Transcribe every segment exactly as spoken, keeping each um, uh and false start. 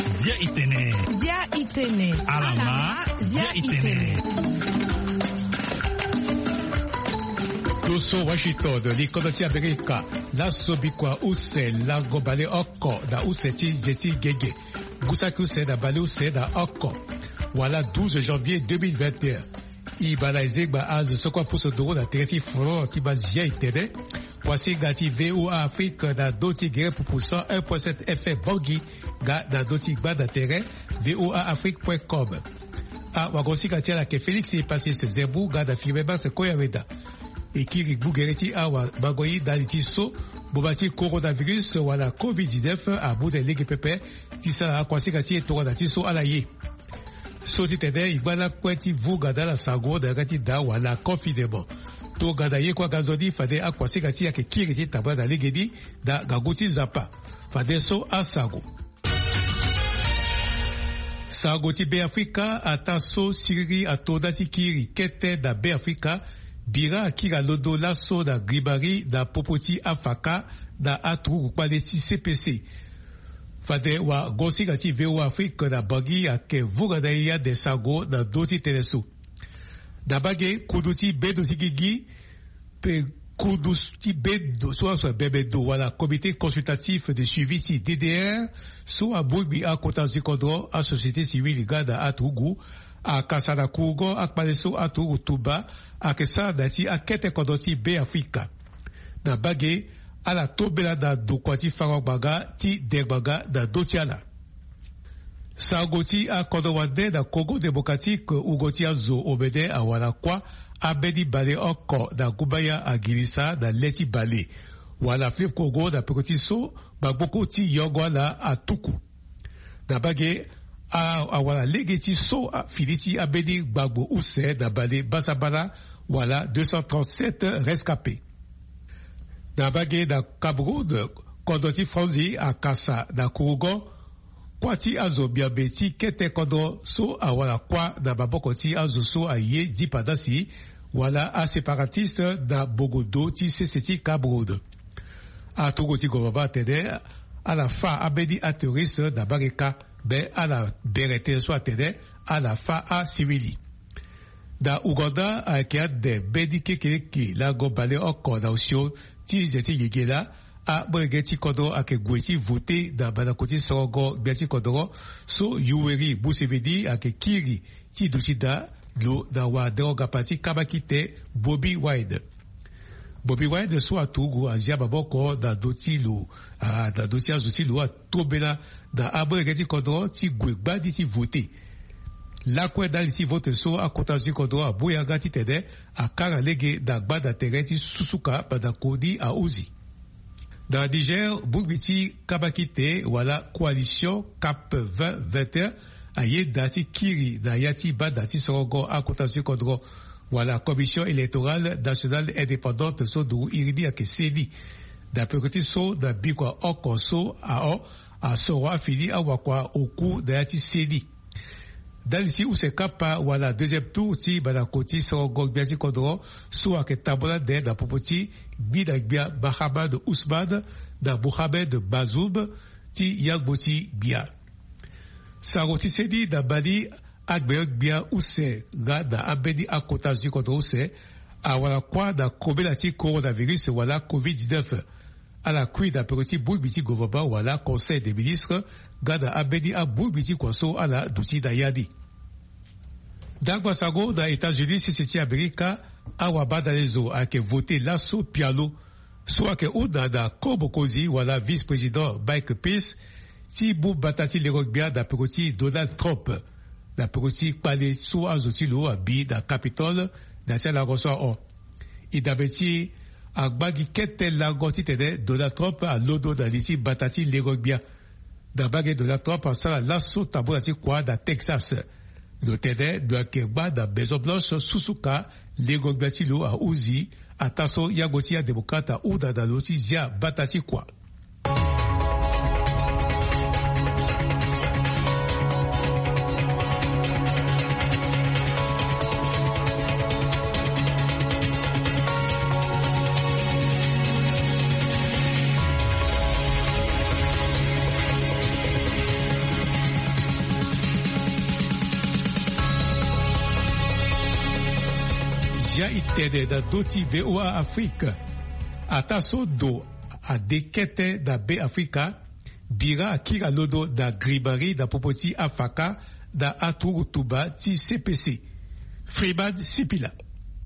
Zia itene. Zia itene. Alama. Zia itene. Toso Washington, li kodro ti Amerika. Laso bikua use lango baleoko na use ti ze ti gege. Ngu saki use na baleuse na oko, wala douze janvier deux mille vingt et un. E baa na ezengba azo so kue apusu nduru na tere ti front ti baa zia itene. Kuasinga ti V O A Afrique na ndö ti gere pupu cent un point sept F M Bangui, nga na ndö ti gbanda tere V O A Afrique point com. Awagosinga ti ala ayeke Félix Passis Zembu nga na Firmin Max Koyaweda. E kiri gbu gere ti awamango ye ndali ti so boma ti coronavirus wala covid dix-neuf amu na e lege pepe ti sara akuasinga ti e tongana ti so ala ye. So ti tene e ngba lakue ti vunga na ala sango na yanga ti daa wala confinement. Tongana ye kue aga nzoni fade akuasinga ti e ayeke kiri ti tambula na legeni na ngangu ti Nzapa. Fadeso asango. Sango ti Beafrika, ataa so siriri ato nda ti kiri kete na Beafrika, bira akiri alondo laso na grimari na popo ti afaka na aturugu kpale ti C P C. Fade wagosinga ti V O A Afrique na Bangui ayeke vunga na e ande sango na ndö ti tënë so. Na mbage kundu ti bendo ti gigi, pe kundu ti bendo so aso abembe ndo wala comité consultatif de suivi ti D D R, so abongbi akota zi kodro, asociété civile nga na aturugu, akasa na kurugo akpale so aturugu tumba ayeke sara na ya ti akete kodro ti Beafrika. Na mbage, ala tombela na ndokua ti fango ngbanga ti de ngbanga na ndö ti ala. Sango ti akodro wande na Congo Démocratique, wungo ti azo omene awara kuâ, ambeni baleoko na gumbaya agirisa na le ti bale wala fleuve Congo na peko ti so, magboko ti yongo ala atuku. Na mbage, a- awara lege ti so a- fini ti ambeni gbagbo use na bale basabala, wala deux cent trente-sept rescapés. Na mbage na Cameroun, kodro ti Franzi akasa na kurugo kuâ ti azo miombe ti kete kodro so awara kuâ na maboko ti azo so aye dipandasi wala aséparatistes na bongo do ti sese ti Cameroun. Aturugu ti gouvernement atene ala fâ ambeni aterroriste na mbage kâ, me ala bere tënë so atene ala fâ asivili. Na Ouganda ayeke ande mbeni kekeleke lango baleoko na osio ti ze ti yengela. Amolenge ti kodro ayeke gue ti vote na mandako ti sorongo gbia ti kodro so Yoweri Museveni ayeke kiri ti duti daa lo na waderonga pa ti kabakite Bobi Wine. Bobi Wine so aturugu azia maboko na ndö ti lo, ah, na ndö ti azo ti lo atombela na amolenge ti kodro ti gue gbani ti vote. Lakue ndali ti vote so akota zo ti kodro amu yanga titene akara lege na gbanda tere ti susuka mandako ni ahunzi. Na Niger, bongbi ti kabakite wala coalition cap vingt vingt et un aye daa ti kiri na ya ti banda ti sorongo akota zo ti kodro wala Commission électorale nationale indépendante so nduru iri ni ayeke CENI. Na peko ti so na bikua oko so ahon asoro afini awakua oku na ya ti CENI. Ndali ti use kapa wala deuxième tour ti mandako ti sorongo gbia ti kodro so ayeke tambula ande na popo ti gbi na gbia Mahamat Usman na Mohamed Bazoum ti yangbo ti gbia. Sango ti CENI na Mali, agbenyo-gbia use nga na ambeni akota zo ti kodro use awara kuâ na kobela ti coronavirus wala covid dix-neuf. Ala kui na peko ti bongbi ti gouvernement wala Conseil des ministres nga na ambeni abongbi ti kua so ala duti na ya ni. Ndangba sango na États-Unis, sese ti Amerika, awabadalezo ayeke vote laso pialo so ayeke hunda na ko mokonzi wala vice-président Mike Pence ti mu mbata ti lengo-gbia na peko ti Donald Trump na peko ti kpale so azo ti lo abi na Capitole na ya ti alango so ahon. E dabe ti e, angba gi kete lango titene Donald Trump alondo na li ti mbata ti lengo-gbia. Na mbage Donald Trump asara laso tambula ti kua na Texas. Lo tene lo yeke ngba na Maison Blanche susuka lengo-gbia ti lo ahunzi, ataa so yangbo ti adémocrate ahunda na lo ti zia mbata ti kua. Tene na ndö ti VOA Afrique. Ataa so ndo ade kete na Be Afrika, bira akiri alondo na grimari na popo ti afaka na aturugu tumba ti C P C. Freeman Sipila.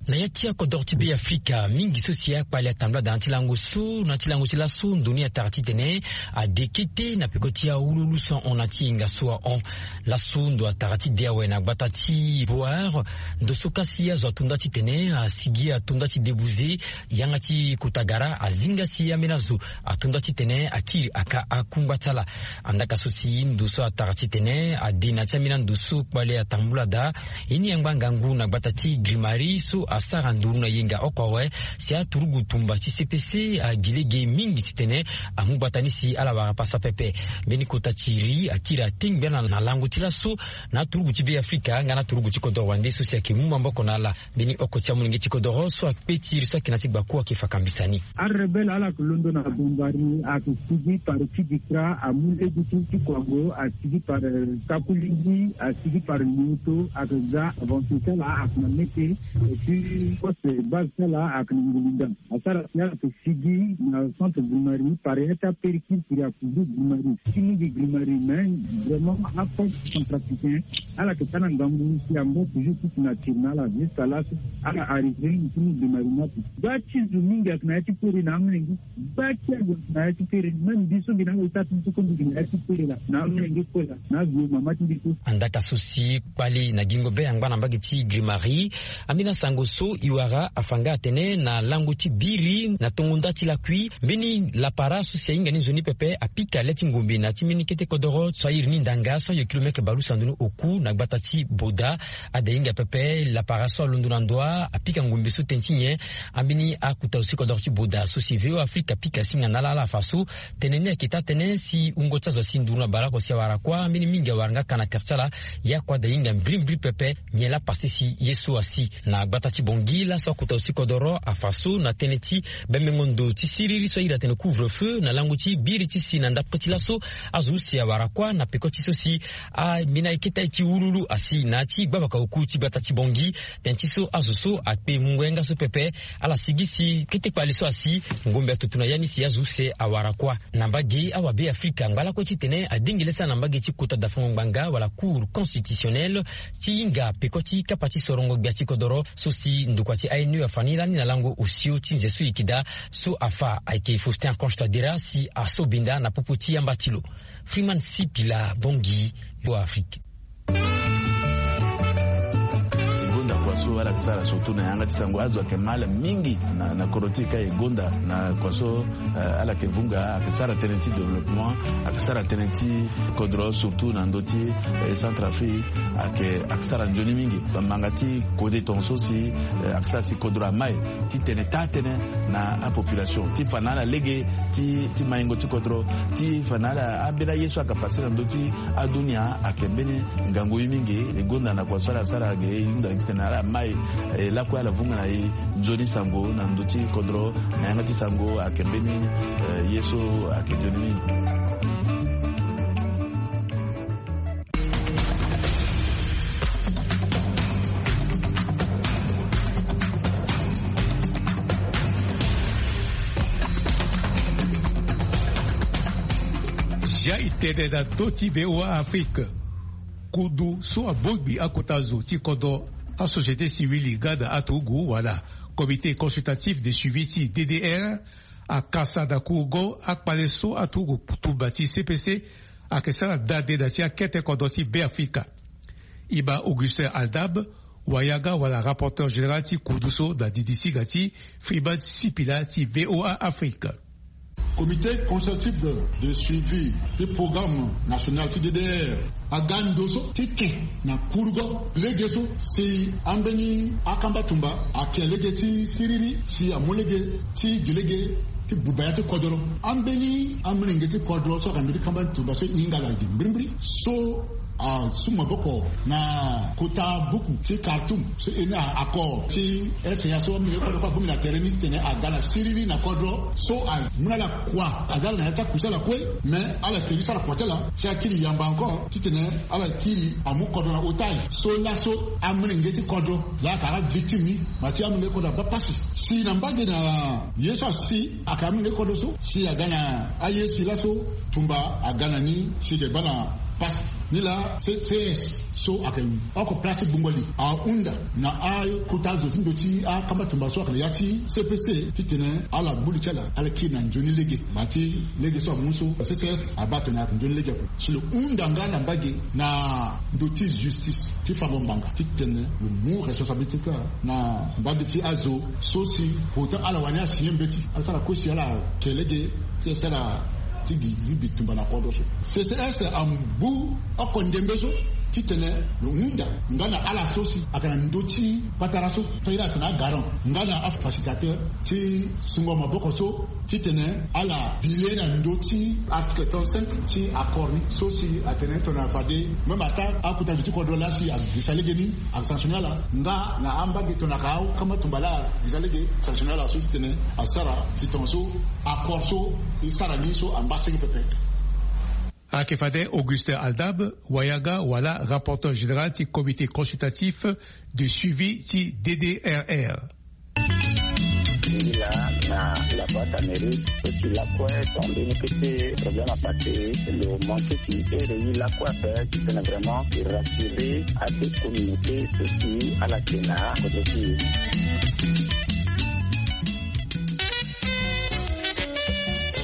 Na ya ti akodoro ti Be Afrika, mingi so si akpale atambula daa na ti lango so na ti lango ti laso ndo ni atara titene ade kete na peko ti awululu so ahon na ti yenga so ahon. Laso ndo atara ti de awe na gbata ti Boer. Ndo so kasi azo ato nda titene asigi ato nda ti debuze yanga ti kota gara azinga si ambeni azo ato nda titene akiri aka akungba ti ala. Andaka so si ndo so atara titene ade na ti ambeni ando so kpale atambula daa. Ye ni angba ngangu na gbata ti grimari so asara nduru na yenga oko awe si aturugu tumba ti C P C agi lege mingi titene amu gbata ni si ala wara pasa pepe. Mbeni kota ti iri akiri atengbe ala na lango ti laso na aturugu ti Be Afrika nga na aturugu ti kodoro wande so si ayeke mu maboko na ala. Mbeni oko ti amolenge ti kodoro so akpe ti iri so ayeke na ti gbaku ayeke fa kambisa ni. Arebele ala yeke londo na Bombari, ayeke sigi par Kidikra, amu lege ti ti Kwango, asigi par, eh, Kakulindi, asigi par Lioto, ayeke ga avancé ti ala ayeke na Mete, et puis poste base ti ala ayeke na Ngulinda. Asara si ala yeke sigi na centre Grimari par ya ti apéricure kiri akuzu Grimari. Ti mingi Grimari, mais vraiment aforce centrafricain. Ala yeke sara ngangu si angba toujours ti nature na ala jusqu'à laso ala arrivé na ti mu Grimari na ape. Gba ti zo mingi ayeke na ya ti pere na amolenge. Gba ti azo na ya ti pere. Même mbi so mbi na ala ita ti so ko mbi na ya ti pere laa na amolenge kue laa na azo mama ti mbi so. Andaka so si kpale na gingo be angba na mbage ti Grimari. Ambeni asango so e wara afa nga atene na lango ti biri na tongo nda ti lakui mbeni lapara so si ahinga ni nzoni pepe apika le ti ngombe na ti mbeni kete kodoro so airi ni ndanga so ayo kilometre balusa ndoni oku na gbata ti Boda. Ade hinga pepe lapara so alondo na ndoa apika ngombe so tene ti nyen. Ambeni akuta zo ti kodoro ti Boda so si VOA Afrique apika singa na ala ala afa so tene ni ayeke taa tënë si wungo ti azo asi nduru na baleoko si awara kuâ. Ambeni mingi awara nga ka na kere ti ala. Ye akua ade hinga mbirimbiri pepe. Nyen laa pase si ye so asi na gbata ti Bangui laso akuta zo ti kodoro afa so na tënë ti bembengo ndo ti siriri so airi atene couvre-feu na lango ti biri ti si na ndapre ti laso. Azo use awara kuâ na peko ti so si ambeni akete ti wululu asi na ya ti gbavaka oku ti gbata ti Bangui. Tënë ti so azo so akpe mungo yanga so pepe. Ala sigi si kete kpale so asi ngombe atutu na ya ni si azo use awara kuâ. Na mbage awabe Afrika angba lakue titene adingele ti ala na mbage ti kota dafango ngbanga wala Cour constitutionnelle ti hinga peko ti kapa ti sorongo gbia ti kodoro so si ndokua ti A N U afa ni lani na lango osio ti nze so e yeke daa. So afa ayeke Faustin Archange Touadéra si aso benda na popo ti yamba ti lo. Freeman Sipila, Bangui, VOA Afrique. E gonda kua so ala yeke sara surtout na yanga ti sango azo ayeke mal mingi na, na kodro ti e ka e gonda na kua so, eh, ala yeke vunga ayeke sara tënë ti développement, ayeke sara tënë ti kodro surtout na ndö ti, eh, Centrafrique ayeke, ayeke sara nzoni mingi. Bamanga ti kode tongaso si, eh, ayeke sara si kodro amai ti tene taa tënë na apopulation ti fa na ala lege ti, ti maingo ti kodro ti fa na ala ambeni aye so ayeke pase na ndö ti adunia ayeke mbeni ngangu ye mingi. E gonda na kua so ala sara ge e hunda gi tene ala mai, eh, lakue ala vunga na e nzoni sango na ndö ti kodro na yanga ti sango ayeke mbeni, eh, ye so ayeke nzoni mingi. Zia e tene na ndö ti VOA Afrique. Kundu so abongbi akota zo ti kodro, asociété civile nga na aturugu wala Comité consultatif de suivi ti D D R, akasa na kurungo akpale so aturugu tumba ti C P C ayeke sara nda nde na ti akete kodro ti Beafrika. E ma Augustin Aldab, wayanga wala rapporteur général ti kundu so na didi singa ti Freeman Sipila ti VOA Afrique. Comité consultatif de, de suivi ti programme national ti D D R aga ndo so ti ke na kurungo lege so si ambeni akamba tumba ake lege ti siriri si amu lege ti gi lege ti buba ya ti kodro. Ambeni amolenge ti kodro so aka mbeni kamba tumba so e hinga ala gi mbirimbiri so Asu maboko na kota buku ti Khartoum so e na accord ti S A so amolenge kodro kue abongbi na tere ni titene aga na siriri na kodro so amu na ala kua. Aza ala na ya ti akusala kue, mais ala fini sara kua ti ala si akiri yamba encore titene ala kiri amu kodro na otage. So laso amolenge ti kodro laa aka avictime ni, ma ti amolenge kodro abaa pasi. Si na mbage na ye so asi aka amolenge kodro so si aga na aye si laso tumba aga na ni si eke baa na pasi. Nilaa C C S so ayeke oko pla ti gbungo li ahunda na akota zo ti ndo ti akamba tumba so ayeke na ya ti C P C titene ala gbu li ti ala, ala kiri na nzoni lege. Ma ti lege so amu so C C S abaa atene ayeke nzoni lege ape. Si lo hunda nga na mbage na ndo ti justice ti fango ngbanga titene lo mu responsabilité ti ala na mbage ti azo so si pourtant ala wani asigné mbeti, ala sara kue si ala ke lege ti sara ti gi ti bi tumba na kodro so. C C S angbu oko ndembe so titene lo hunda nga na ala so si ayeke na ndö ti patara so, to iri atene agarant nga na afacilitateur ti sungo maboko so titene ala bi le na ndö ti article trente-cinq ti accord ni so si atene tongana fade même ata akota zo ti kodro laa si agirisa lege ni, asanctionné ala nga na ambage tongana aka akamba tumba laa agirisa lege, sanctionné ala so titene asara si tongaso accord so e sara ni so angba senge pepe. Ayeke fade Augustin Aldab, wayaga wala rapporteur général ti comité consultatif de suivi ti D D R R. Ngi laa na la boîte à mérite so si lakue ton mbeni kete problème apassé, lo manqué si ere ye lakue ape titene vraiment e rassurer ade communauté so si ala yeke na kodro ti e.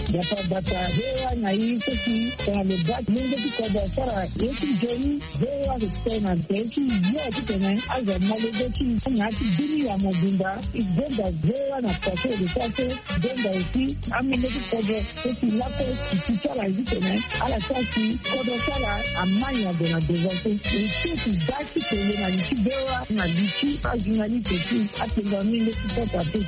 Gbata gbata V O A na e so si tongana lo baa lenge ti kodro asara ye ti nzoni, V O A ayeke sara na tere ti yo titene azo amolenge ti e na ya ti bini ya mobimba. E gonda V O A na poto lo sara so, gonda aussi amolenge ti kodro so si lakue e ti ti ala titene ala sara si kodro ti ala amai na gue na devant so. E so ti baa ti tene na li ti V O A na li ti ajournaliste ti atenda minde ti pota te.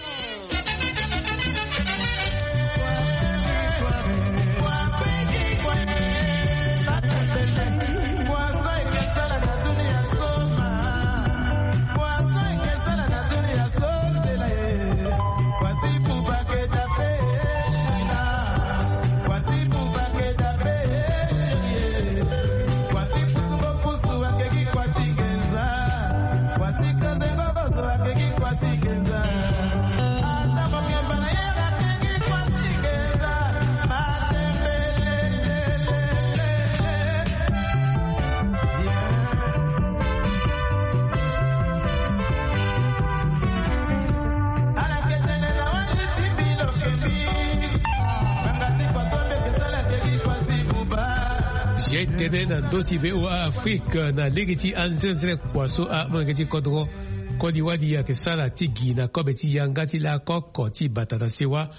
Zia e tene na ndö ti V O A Afrique na lege ti anzenze kua so amolenge ti kodro koli wali ayeke sara ti gi na kobe ti yanga ti lakoko ti bata na sewa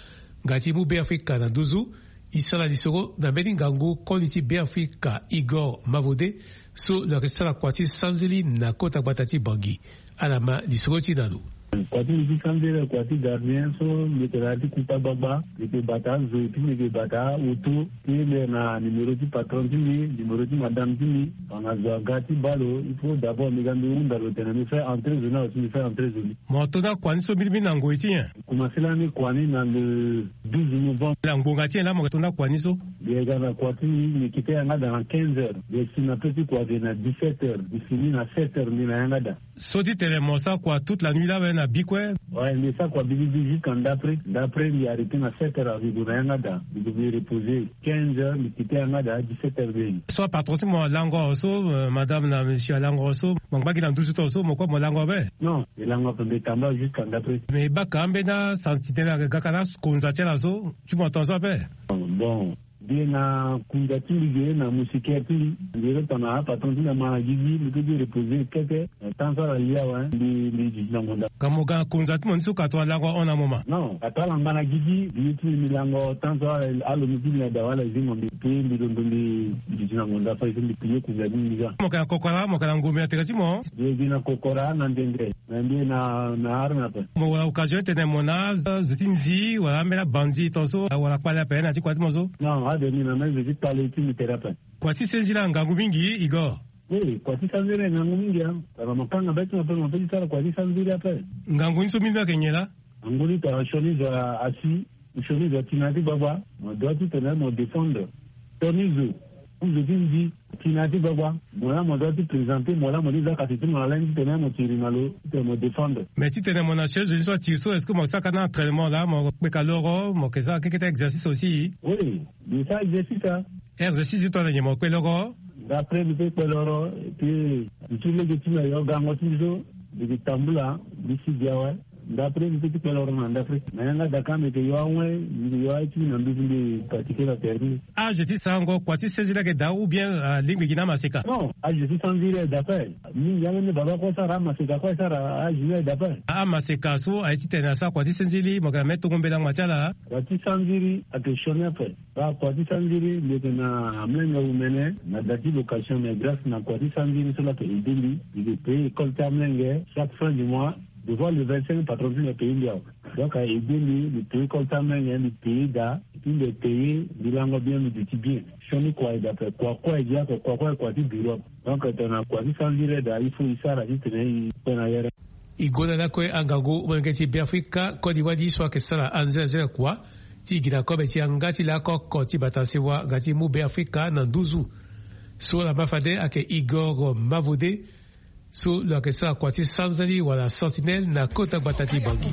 nga ti mu Beafrika na nduzu. E sara lisoro na mbeni ngangu koli ti Beafrika Igor Mavode so lo yeke sara kua ti sanzili na kota gbata ti Bangui. Ala ma lisoro ti na lo. Kua ti mbi ti sanzili kua ti gardien so mbi yeke na ya ti kuta gbagba, mbi yeke bata azo et puis mbi yeke bata auto ti mbi na numéro ti patron ti mbi, numéro ti madame ti mbi. Tongana zo aga ti baa lo, il faut d'abord mbi ga mbi hunda lo tene mbi fait entrer zo ni awe si mbi fait entrer zo ni. Mo to nda kua ni so mbirimbiri na ngoi ti nyen? Commencé lani kua ni na le douze novembre. Na ngbonga ti nyen laa mo yeke to nda kua ni so? Mbi yeke ga na kua ti mbi, mbi kite yanga daa na quinze heures. Mbi yeke si na peu ti kua ge na dix-sept heures. Mbi fini na sept heures mbi na yanga daa. So ti tene mo sara kua toute la nuit laa awe na bi kue? Ouais, mbi sara kua bibibi jusqu'à ndapre. Ndapre mbi arrêté na sept heures, mbi gue na yanga daa. Mbi gue mbi reposer. Quinze heures mbi kite yanga daa, dix-sept heures mbi. So apatron ti mo alango so, euh, madame na monsieur alango so, mo ngba gi na nduzu to so, mo kue mo lango ape? Non, mbi lango ape, mbi tamba jusqu'à ndapre. Mais e baka ambeni asantinelle ayeke gaka na akonza ti ala so, ti mo tongaso ape? Bon, mbi ye na kunza ti mbi ge na moustiquaire ti mbi. Mbi ye tongana apatron ti mbi ama na gigi, mbi peut ti reposer kete. Temps so ala li awe, mbi, mbi duti na ngonda. Ka mo ga na konza ti mo ni so ka tongana lango ahon na mo ma? Non, ka tongana ngba na gigi, mbi ye ti mbi, mbi lango temps so ala, alo mbi ti mbi na daa wala zingo mbi. Puis mbi londo mbi duti na ngonda fade so mbi pillé kunza ti mbi ga. Mo yeke na kokora, mo yeke na ngombe na tere ti mo? Mbi ye gi na kokora na ndende. Na mbi na, na arme ape. Mo wara occasion ti tene mo na azo ti nzi wala ambeni abandi tongaso wala kpale ape na ya ti kua ti mo so? Non, ade mbi na ambeni zo ti kpale ti mbi tere ape. Kua ti senzi laa ngangu mingi, Igor. Oui, kua ti sanziri ngangu mingi a. Tara mo kanga be ti mo ape, mo pe ti sara kua ti sanziri ape. Ngangu ni so mbi mbi ayeke nyen laa? Ngangu ni tara sioni zo asi, sioni zo ati na ya ti gbagba, mo dua titene mo défendre sioni zo, zo ti ndi ati na ya ti gbagba. Mo laa mo dua ti présenter mo laa mo ti za kasi ti mo na lani titene mo tiri na lo titene mo défendre. Mais titene mo na sioni zo ni so atiri so, est-ce que mo saka na entraînement laa mo kpeka loro mo yeke sara kekete exercice aussi? Oui, mbi sara exercice a. Exercice ti tongana nyen mo kpe loro? D'après mbi pe kpe loro, et puis mbi ti lege ti mbi ayo gango ti mbi so, mbi yeke tambula mbi si gi awe. D'après mbi pe ti kpe loro na ndafri, na yanga daka mbi yeke yo awe, mbi yeke yo aye ti mbi na nduzu mbi pratiquer na terrain. Âge ti sarango kua ti seziri ayeke daa ou bien alingbi gi na amaseka? Non, âge ti sanziri ayeke daa ape. Mingi ambeni baba kue asara, amaseka kue asara, âge ni ayeke daa ape. Amaseka so aye titene asara kua ti senziri mo yeke na me tongo mbela ngba ti ala. Kua ti sanziri ayeke sioni ape. Baa kua ti sanziri mbi yeke na amolenge awumene na da ti location, mais grâce na kua ti sanziri so laa ayeke aidé mbi. Mbi yeke payer école ti amolenge chaque fin du mois. Devoir le vingt-cinq patron ti mbi apayer mbi awe. Donc a aidé mbi, mbi payer école ti amolenge, mbi payer da, et puis mbi payer mbi lango bien, mbi duti bien. Sioni kua ayeke daa ape, kua kue ayeke gi ake, kua kue ayeke kua ti bureau. Donc tongana kua ti sanziri ayeke daa, il faut e sara titene e kpe na yere. E gonda lakue angangu molenge ti Beafrika koli wali so ayeke sara anzenazena kua ti gi na kobe ti yanga ti laoko oko ti bata sewa nga ti mu Beafrika na nduzu. So laa ma fade ayeke Igor Mavode, so lo yeke sara kua ti sanzali wala sentinelle na kota gbata ti Bangui.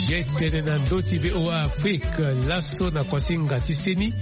Ye tene na ndö ti V O A Afrique. Laso na kuasinga ti seni,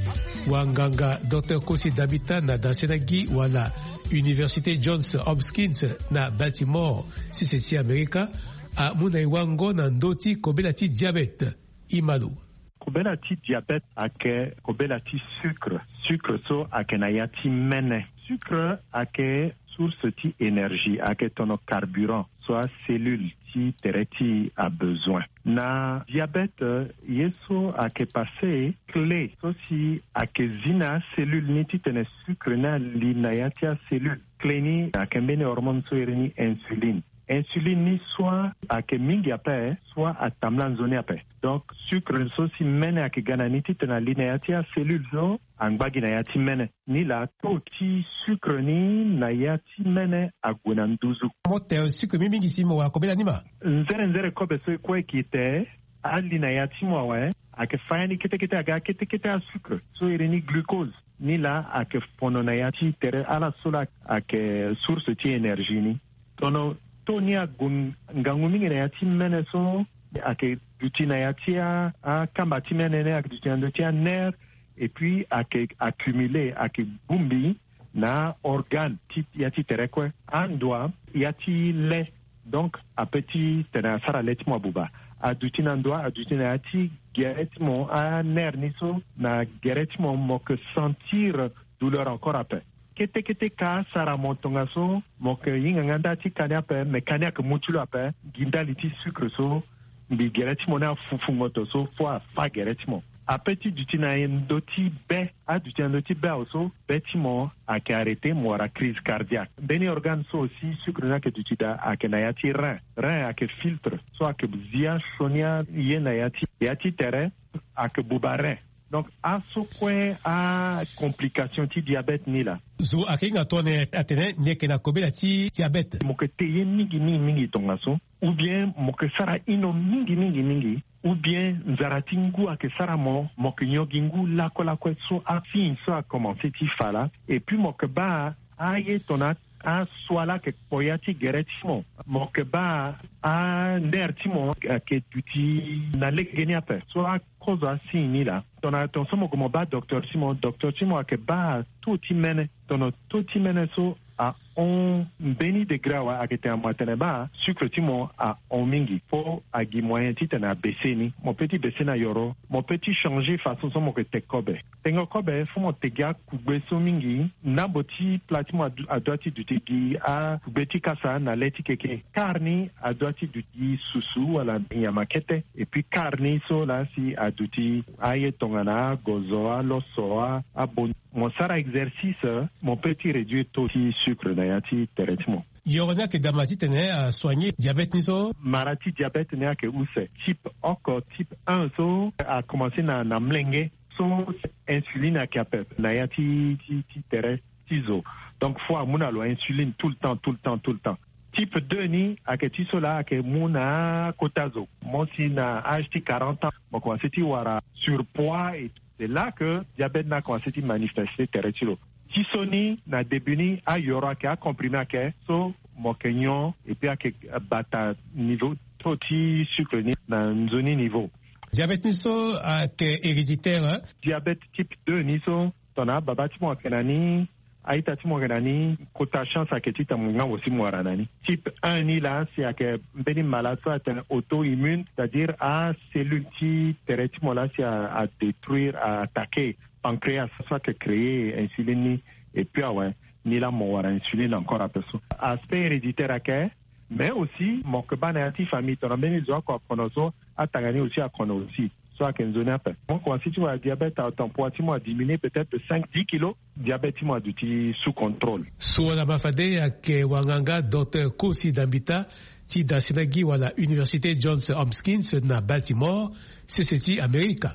wanganga Docteur Kosi Damita na Dasenagi wala Université Johns Hopkins na Baltimore, sese ti Amerika, amu na e wango na ndö ti kobela ti diabète. Imalo. Kobela ti diabète ayeke kobela ti sucre. Sucre so ayeke na ya ti mene. Sucre ayeke source ti énergie, ayeke tono carburant so acellule ti tere ti e abezoin. Na diabète, ye so ayeke passé, clé so si ayeke zi na acellule ni titene sucre ni ali na ya ti acellule. Clé ni ayeke mbeni hormone so iri ni insuline. Insuline ni soit ayeke mingi ape, soit atambula nzoni ape. Donc sucre so si mene ayeke ga na ni titene ali na ya ti acellule so angba gi na ya ti mene. Ni laa taux ti sucre ni na ya ti mene ague na nduzu. Mo te sucre mingi mingi si mo wara kobela ni ma. Nzere nzere kobe so e kue e ke te, ali na ya ti mo awe, ayeke fa ya ni kete kete aga kete kete asucre so iri ni glucose. Ni laa ayeke fono na ya ti tere ala so laa ayeke source ti énergie ni. Tono taux ni ague ngangu mingi na ya ti mene so ayeke duti na ya ti a, akamba ti mene ni ayeke duti na ndö ti anerf, et puis ayeke accumulé, ayeke bongbi na aorgane ti ya ti tere kue. Andua ya ti le, donc ape titene asara le ti mo abuba. Aduti na ndua, aduti na ya ti gere ti mo, anerf ni so na gere ti mo, mo yeke sentir douleur encore ape. Kete kete ka asara mo tongaso, mo yeke hinga nga nda ti ka ni ape, me ka ni ayeke mu ti lo ape gi ndali ti sucre so mbi gere ti mo ni afufu ngoto so fo afa gere ti mo. Ape ti duti na ndö ti be, aduti na ndö ti be awe so be ti mo ayeke arrêté, mo wara crise cardiaque. Mbeni organe so aussi sucre ni ayeke duti daa ayeke na ya ti rein. Rein ayeke filtre so ayeke zi asioni aye na ya ti, ya ti tere, ayeke buba rein. Donc aso kue acomplication ti diabète ni laa. Zo ayeke hinga tongana atene ni yeke na kobela ti diabète, mo yeke te ye mingi mingi mingi tongaso, ou bien mo yeke sara ino mingi mingi mingi, ou bien nzara ti ngu ayeke sara mo, mo yeke nyon gi ngu lakue lakue. So asigne so akomanse ti fa laa. Et puis mo yeke baa aye tongana asua laa ayeke kpo ya ti gere ti mo. Mo yeke baa aner ti mo ayeke duti na legeni ape. So akozo asigne ni laa, tongana tongaso mo gue mo baa docteur ti mo, docteur ti mo ayeke baa taux ti mene. Tongana taux ti mene so ahon mbeni degré awe, ayeke tene mo atene baa sucre ti mo ahon mingi. Fo agi moyen titene abaisse ni. Mo peut ti baisse ni na yoro. Mo peut ti changer façon so mo yeke te kobe. Tengo kobe, fo mo te gi akugbe so mingi. Ndambo ti plat ti mo adu-, adoit ti duti gi akugbe ti kasa na le ti keke. Quart ni adoit ti duti gi susu wala nyama kete. Et puis quart ni so laa si aduti aye tongana agozo, aloso, a, abon. Mo sara exercice, mo peut ti réduire taux ti sucre na ya ti tere ti mo. Yoro ni ayeke daa ma titene asoigner diabète ni so? Mara ti diabète ni ayeke use. Type oko, type un so akomanse na, na mlenge. So insuline ayeke ape na ya ti, ti, ti tere ti zo. Donc fo amu na lo insuline tout le temps, tout le temps, tout le temps. Type deux ni ayeke ti so laa ayeke mu na akota zo. Mo si na âge ti quarante ans, mo komanse ti wara surpoids et tout. C'est là que diabète ni akomanse ti manifeste tere ti lo. Ti so ni na début ni ayoro ayeke, acomprimé ayeke, so mo yeke nyon et puis ayeke bata niveau taux ti sucre ni na nzoni niveau. Diabète ni so ayeke héréditaire, hein? Diabète type deux ni so, tongana ababa ti mo ayeke na ni, a-ita ti mo ayeke na ni, kota chance ayeke titene mo ngangu si mo wara na ni. Type un ni laa si ayeke mbeni mala so atene auto-immune, c'est-à-dire acellule ti tere ti mo laa si a, adétruire, a attaquer pancréas so ayeke créer insuline ni. Et puis awe, ni laa mo wara insuline encore ape so. Aspect héréditaire ayeke, mais aussi mo yeke baa na ya ti famille, tongana mbeni zo oko akono so, atanga ni aussi akono aussi. So ayeke nzoni ape. Mo komanse ti wara diabète, atempoids ti mo adiminué peut-être de cinq, dix kilos. Diabète ti mo aduti sous contrôle. So wala ma fade ayeke wanganga docteur Kosi Dambita ti da sena gi wala Université Johns Hopkins na Baltimore, sese ti Amerika.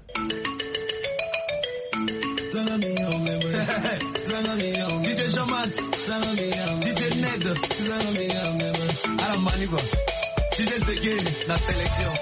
D J Jean-Max, D J Ned, ala mani quoi. D J Seke na sélection.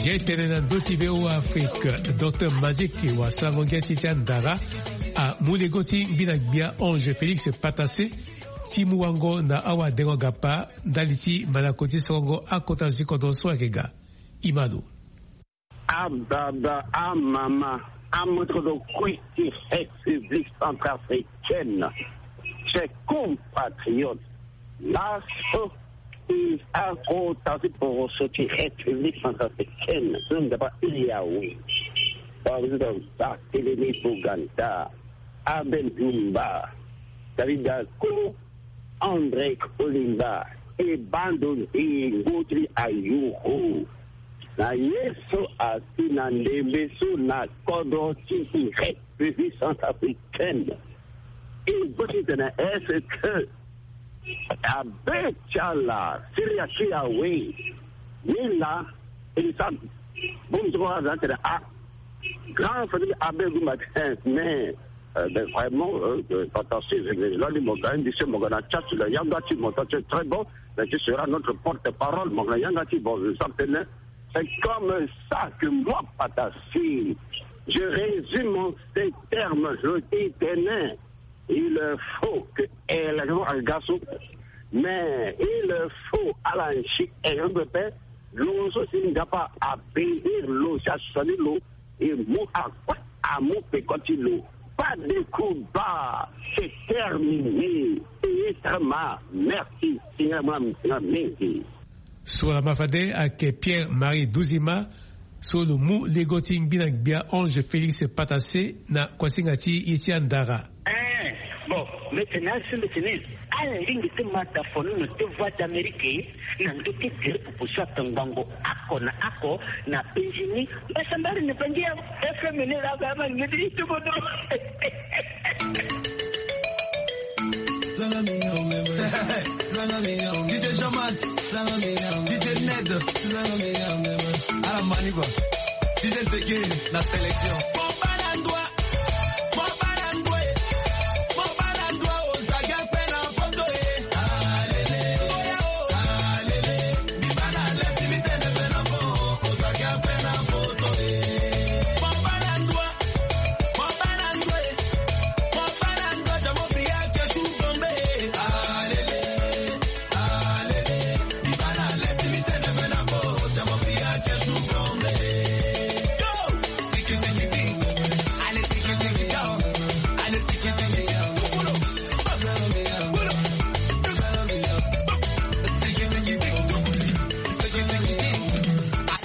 Ye tene na ndö ti V O A Afrique, docteur Magic wasango ngia ti ti andara amu lego ti ngbina gbia Ange Félix Patassé ti mu wango na awadengo gapa ndali ti malako ti songo akota zikodro so ayeke ga. Imano. Ababa, amama, amotokoto kue ti République centrafricaine, chers compatriotes, laso e akota ti poroso ti République centrafricaine so nzapa iri awe. Président Barthélémy Boganda, Abel Dumba, David Dako, André Kolimba, e bando nzingo ti ayoro na ye so asi na ndembe so na kodro ti République centrafricaine. E bâ titene est-ce que abe ti ala siri ati awe? Ni laa e sa bongbi ti kua aza tene a grand famille abe gumba ti mais, euh, ben, vraiment, euh, euh, attention, je vais là, mo ga, indi se mo ga na chat la yanga ti mo, ça c'est très bon. Mais tu seras notre porte-parole, mon grand. Yanga ti bon, je sens que c'est comme ça que moi, Patassé, je résume en ces termes, je dis, tenez, il faut que, eh, la, mais il faut à la chute, eh, on peut faire, lo so si Nzapa abénir lo si asoni lo, e mu akue amu peko ti lo. Pas de combat, c'est terminé. Payé très mal. Merci. Seigneur, moi, mingi. So lama fade ayeke Pierre Marie Duzima, so lo mu lego ti ngbina gbia Ange Félix Patassé na kuasinga ti ye ti andara. Eh, bon, maintenant, c'est maintenant. Ala lingbi ti ma dafo ni na deux voix d'Amérique, na ndö ti gere pupu so ato ngbongo oko na oko na penzi ni. Mbasambari na bangi ya F M ni la ba ma ngedi ti bodo. D J Jean-Max, D J Ned, ala ma ni quoi. D J Zeke na sélection.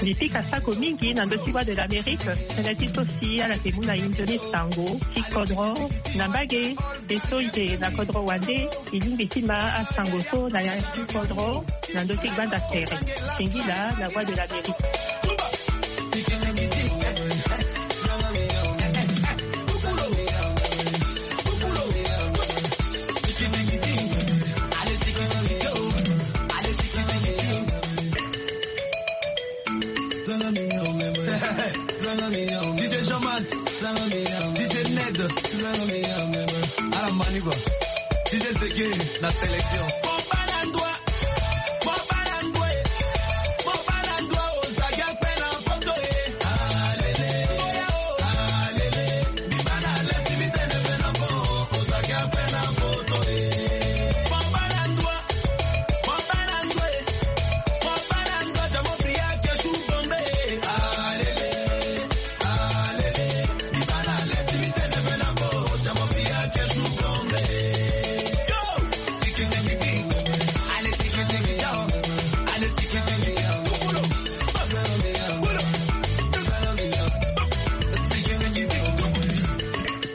Mbi pika sako mingi na ndö ti Voix de l'Amérique, tënë ti so si ala yeke mu na e nzoni sango ti kodro na mbage. Be so e yeke na kodro wande, e lingbi ti ma asango so na ya ti kodro na ndö ti gbanda tere. Singila na Voix de l'Amérique. D J Jean-Max, D J Ned, ala ma ni quoi. D J Zeke na sélection.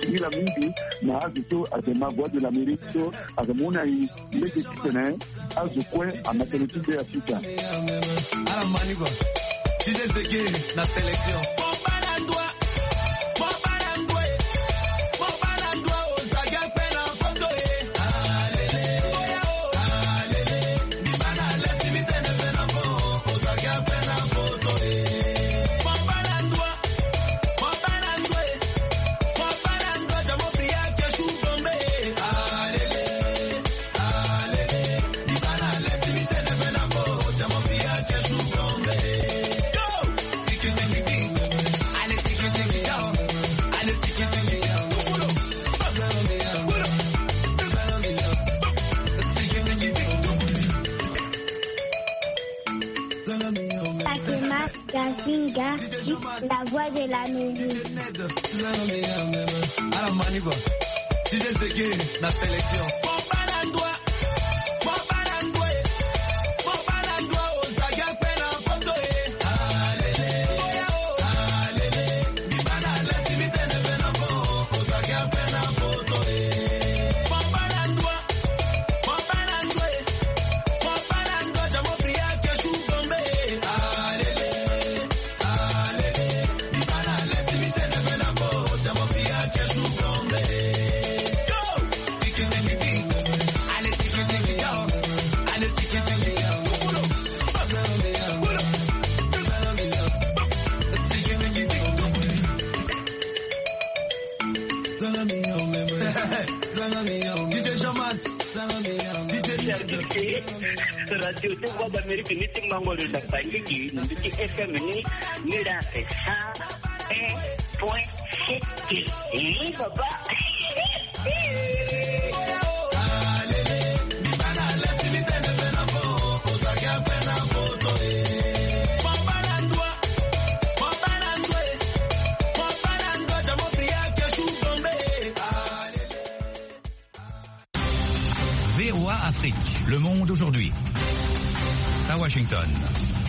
Singila mingi na azo so ayeke ma Voix de l'Amérique so ayeke mu na e lege titene azo kue amete lo ti be ya sika. Ala ma ni quoi. D J Zeke na sélection. Fatima Gazinga, la Voix de l'Amérique. Ala ma ni quoi. D J Zeke na sélection. Radio ti Voix d'Amérique ni ti mango lo na Bangui, na mbi ti F M ni, ni la cent un point sept. Eh, papa. V O A Afrique, le monde aujourd'hui. À Washington.